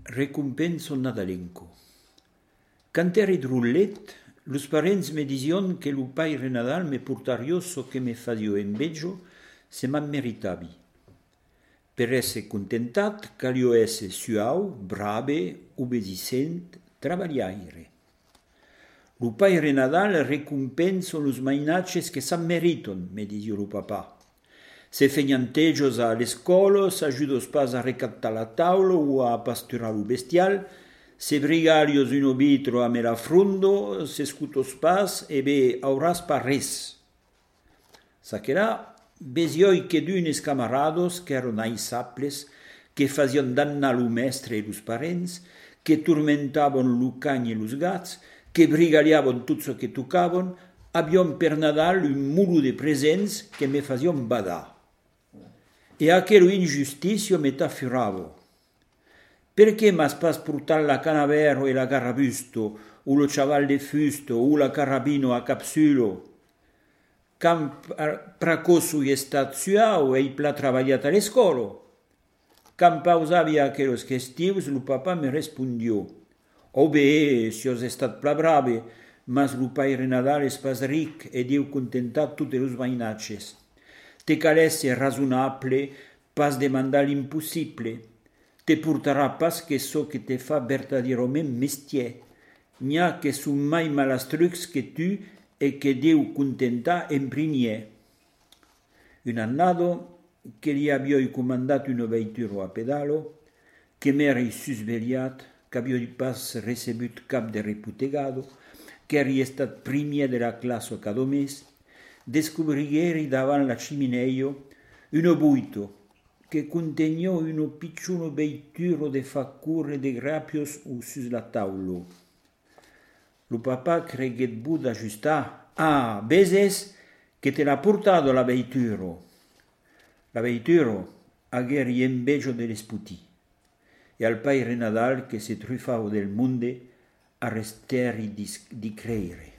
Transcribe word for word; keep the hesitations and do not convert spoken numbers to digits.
Recompenso nadalenco. Canteri drullet, los parents me dision que lo Padre Nadal me portario so que me fadio enveggio se m'ammeritavi. Per esse contentat, calio esse suau, brave, obedicent, travagliaire. Lo Padre Nadal recompenso los mainaces que s'ammeriton, me disio lo papà. Se feignanteggios a l'escolo, s'ajudos pas a recattar la taula o a pasturar lo bestial, se brigalios un obitro a me la frundo, se scutos pas e be auras pas res. Sacherà, besioi che d'unes camarados che eran aisaples, che fazion dannar lo mestre e los parents, che turmentavon lo cagni e los gats, che brigaliavon tutto so che toccavon, abion per Nadal un mulu de presents che me fazion badà. E aquello injusticio me t'affuravo. Perché m'has pas portat la canavero e la carrabusto, o lo chaval de fusto, o la carabino a capsulo? Cam pracoso e stat suau e i pla travagliat a l'escolo? Cam pausavi aquellos gestivos, lo papà me respondió. Oh bé, si os estat pla brave, mas lo Padre Nadal es pas ric e diu contentat tutte los vainaches. Te calesse razonable, pas demandar l'impossible. Te portarà pas que so que te fa verdadirament mestier. N'ha que son mai malastrucs que tu e que deu contentar en primier. Un annado que li avioi comandat una veitura a pedalo, que m'eri susveliat, qu'avioi pas recebut cap de reputegado, che eri estat primier de la classe cada mes, descobrighieri davant la cimineio uno buito che contegnò uno picciuno veituro de faccure de grapios o sus la taulo. Lo papà creghet bu d'ajustar. Ah, beses che te l'ha portato la veituro. La veituro agheri enveggio de l'esputì. E al Padre Nadal che se truffavo del monde arresteri di, di creire.